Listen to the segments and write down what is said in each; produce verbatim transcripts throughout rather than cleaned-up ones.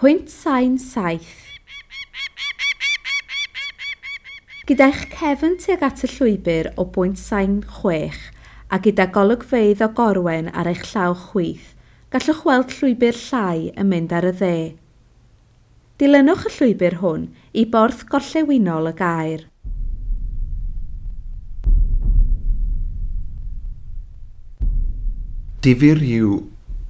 Pwynt sain saith. Gyda'ch cefn tuag at y llwybr o bwynt sain chwech a gyda golygfeydd o Gorwen ar eich llaw chwith, gallwch weld llwybr llai yn mynd ar y dde. Dilynwch y llwybr hwn i borth gorllewinol y gaer. Difyr yw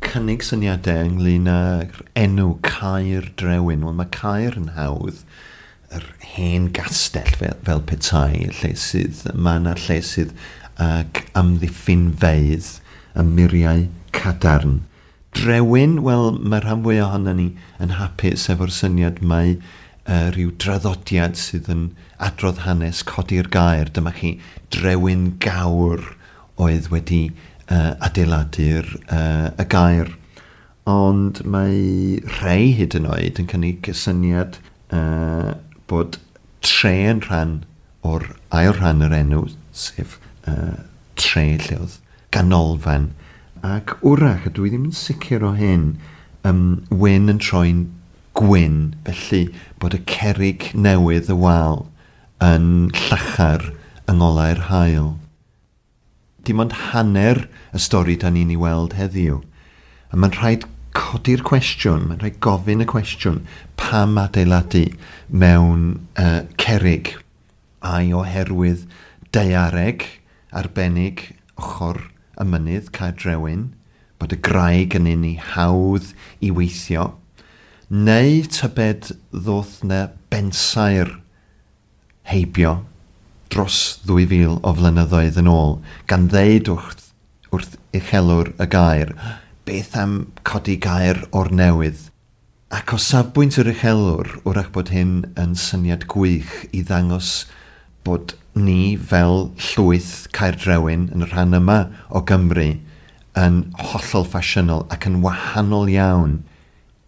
cynnig syniadau ynglyn â'r enw Caer Drewyn. Wel, mae Caer yn hawdd, yr hen gastell fel, fel petai, lle sydd, mae yna lle sydd ag amddiffynfeydd y muriau cadarn. Drewyn, wel, mae rhan fwyaf ohono ni yn hapus efo'r syniad mai uh, rhyw draddodiad sydd yn adrodd hanes codi'r gaer. Dyma chi Drewyn Gawr oedd wedi uh, adeiladu'r uh, y gaer. Ond mae rhai hyd yn oed yn cynnig y syniad uh, bod tre yn rhan o'r ail rhan yr enw, sef uh, tre lle oedd ganolfan. Ac wrach, a dwi ddim yn sicr o hyn, um, wyn yn troi'n gwyn, felly bod y cerrig newydd y wal yn llachar yng ngolau'r haul. Dim ond hanner y stori da ni'n ei weld heddiw. A mae'n rhaid codi'r cwestiwn, mae'n rhaid gofyn y cwestiwn, pam adeiladu mewn uh, cerrig? Ai oherwydd daeareg arbennig ochr y mynydd Caer Drewyn, bod y graig yn un i hawdd i weithio, neu tybed ddoth na bensaer heibio dros ddwy fil o flynyddoedd yn ôl, gan ddeud wrth, wrth uchelwr y gaer, beth am codi gaer o'r newydd? Ac o safbwynt yr uchelwr, wrach bod hyn yn syniad gwych i ddangos bod ni fel llwyth Caer Drewyn yn y rhan yma o Gymru yn hollol ffasiynol ac yn wahanol iawn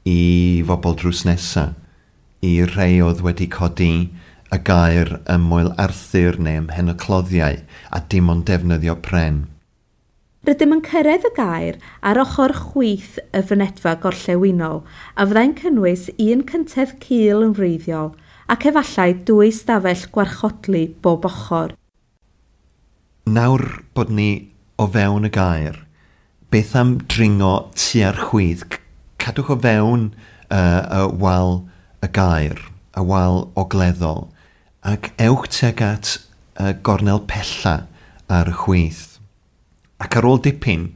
i fobl drws nesa, i rhai oedd wedi codi y gaer ym Moel Arthur neu ym Mhen y Cloddiau a dim ond defnyddio pren. Rydym yn cyrraedd y gaer ar ochr chwith y fynedfa gorllewinol a fyddai'n cynnwys un cyntedd cul yn wreiddiol ac efallai dwy stafell gwarchodlu bob ochr. Nawr bod ni o fewn y gaer, beth am dringo tua'r chwith? Cadwch o fewn uh, y wal y gaer, y wal ogleddol, ac ewch tuag at y gornel pella ar y chwith. Ac ar ôl dipyn,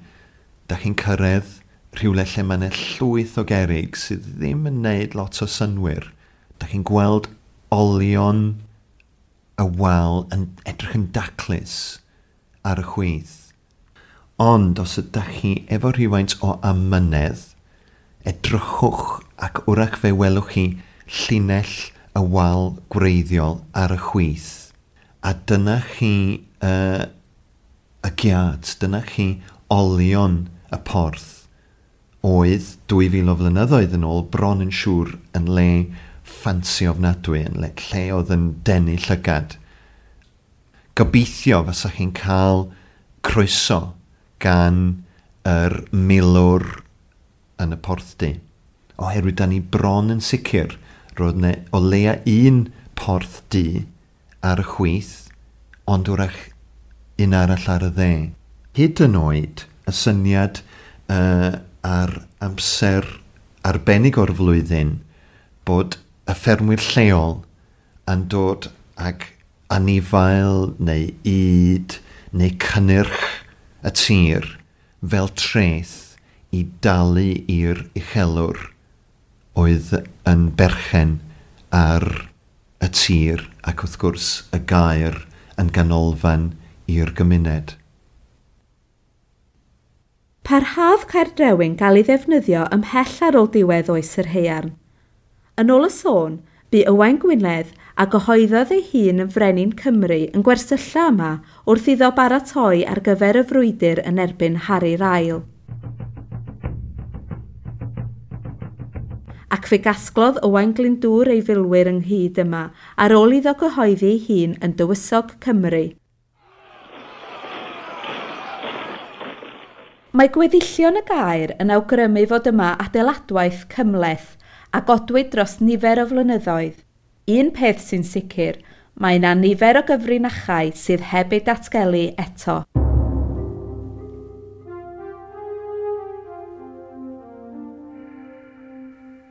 da chi'n cyrraedd rhywle lle mae yna llwyth o gerrig sydd ddim yn neud lot o synwyr. Da chi'n gweld olion y wal yn edrych yn daclus ar y chwith. Ond os ydych chi efo rhywfaint o amynedd, edrychwch ac wrach fe welwch chi llinell y wal gwreiddiol ar y chwith. A dyna chi uh, y giat, dyna chi olion y porth oedd dwy fil o flynyddoedd yn ôl bron yn siŵr yn le ffansi ofnadwy, yn le, lle oedd yn denu llygad. Gobeithio fysa chi'n cael croeso gan yr milwr yn y porthdy. Oherwydd da ni bron yn sicr roedd yna o leia un porth du ar y chwith, ond wrach un arall ar y dde. Hyd yn oed y syniad uh, ar amser arbennig o'r flwyddyn bod y ffermwyr lleol yn dod ag anifail neu ŷd neu cynnyrch y tir fel treth i dalu i'r uchelwr oedd yn berchen ar y tir ac wrth gwrs y gaer yn ganolfan i'r gymuned. Parhaodd Caer Drewyn gael ei ddefnyddio ymhell ar ôl diwedd oes yr haearn. Yn ôl y sôn, bu Owain Gwynedd a gyhoeddodd ei hun yn Frenin Cymru yn gwersylla yma wrth iddo baratoi ar gyfer y frwydr yn erbyn Harri'r Ail. Ac fe gasglodd Owain Glyndŵr ei filwyr ynghyd yma ar ôl iddo gyhoeddi ei hun yn Dywysog Cymru. Mae gweddillion y gaer yn awgrymu fod yma adeiladwaith cymhleth a godwyd dros nifer o flynyddoedd. Un peth sy'n sicr, mae yna nifer o gyfrinachau sydd heb eu datgelu eto.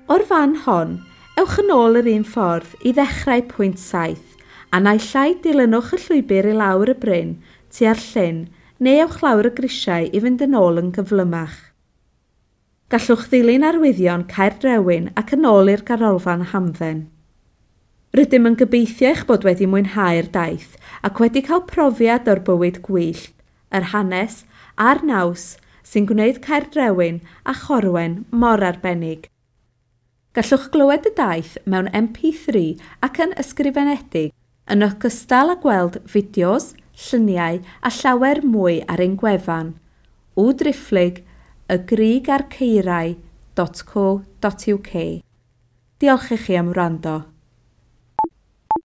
O'r fan hon, ewch yn ôl yr un ffordd i ddechrau pwynt saith, a naill ai dilynwch y llwybr i lawr y bryn tua'r llyn neu ewch lawr y grisiau i fynd yn ôl yn gyflymach. Gallwch ddilyn arwyddion Caerdrewyn ac yn ôl i'r ganolfan hamdden. Rydym yn gobeithio eich bod wedi mwynhau'r daith ac wedi cael profiad o'r bywyd gwyllt, yr hanes a'r naws sy'n gwneud Caerdrewyn a Chorwen mor arbennig. Gallwch glywed y daith mewn M P three ac yn ysgrifenedig, yn ogystal â gweld fideos, lluniau a llawer mwy ar ein gwefan w driphlyg y grug a'r caerau dot co dot U K. Diolch i chi am wrando.